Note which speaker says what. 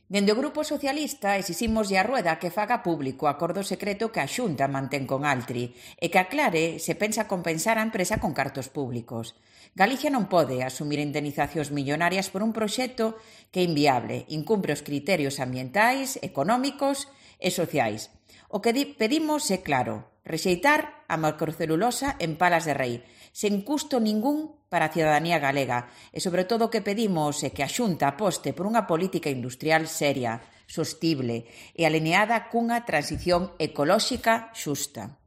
Speaker 1: Dende o Grupo Socialista exiximoslle a Rueda que faga público o acordo secreto que a Xunta mantén con Altri e que aclare se pensa compensar a empresa con cartos públicos. Galicia non pode asumir indemnizacións millonarias por un proxecto que é inviable, incumpre os criterios ambientais, económicos e sociais. O que pedimos é claro, rexeitar a macrocelulosa en Palas de Rei, sen custo ningún para a cidadanía galega e, sobre todo, o que pedimos é que a Xunta aposte por unha política industrial seria, sostible e alineada cunha transición ecolóxica xusta.